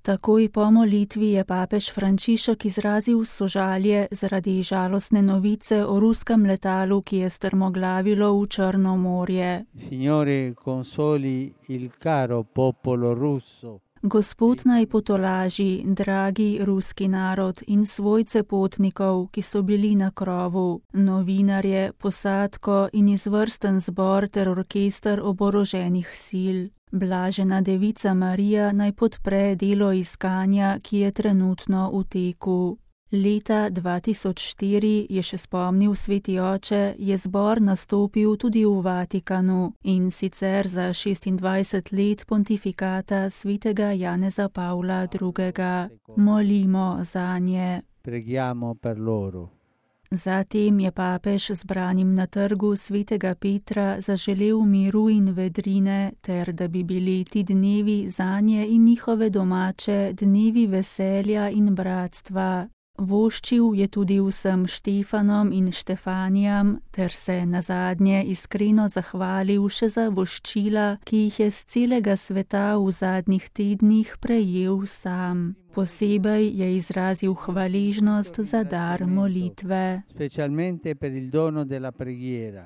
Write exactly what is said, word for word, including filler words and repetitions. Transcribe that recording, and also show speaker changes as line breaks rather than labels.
Takoj po molitvi je papež Frančišek izrazil sožalje zaradi žalostne novice o ruskem letalu, ki je strmoglavilo v Črno morje.
Signore, consoli il caro popolo russo.
Gospod naj potolaži, dragi ruski narod in svojce potnikov, ki so bili na krovu, novinarje, posadko in izvrsten zbor ter orkester oboroženih sil. Blažena devica Marija naj podpre delo iskanja, ki je trenutno v teku. Leta dva tisoč štiri, je še spomnil sveti oče, je zbor nastopil tudi v Vatikanu, in sicer za šestindvajset let pontifikata svetega Janeza Pavla drugega. Molimo zanje.
Preghiamo per loro.
Zatem je papež zbranim na trgu svetega Petra zaželel miru in vedrine, ter da bi bili ti dnevi zanje in njihove domače dnevi veselja in bratstva. Voščil je tudi vsem Štefanom in Štefanijam, ter se nazadnje iskreno zahvalil še za voščila, ki jih je z celega sveta v zadnjih tednih prejel sam. Posebej je izrazil hvaležnost za dar molitve.
Specialmente per il dono della preghiera.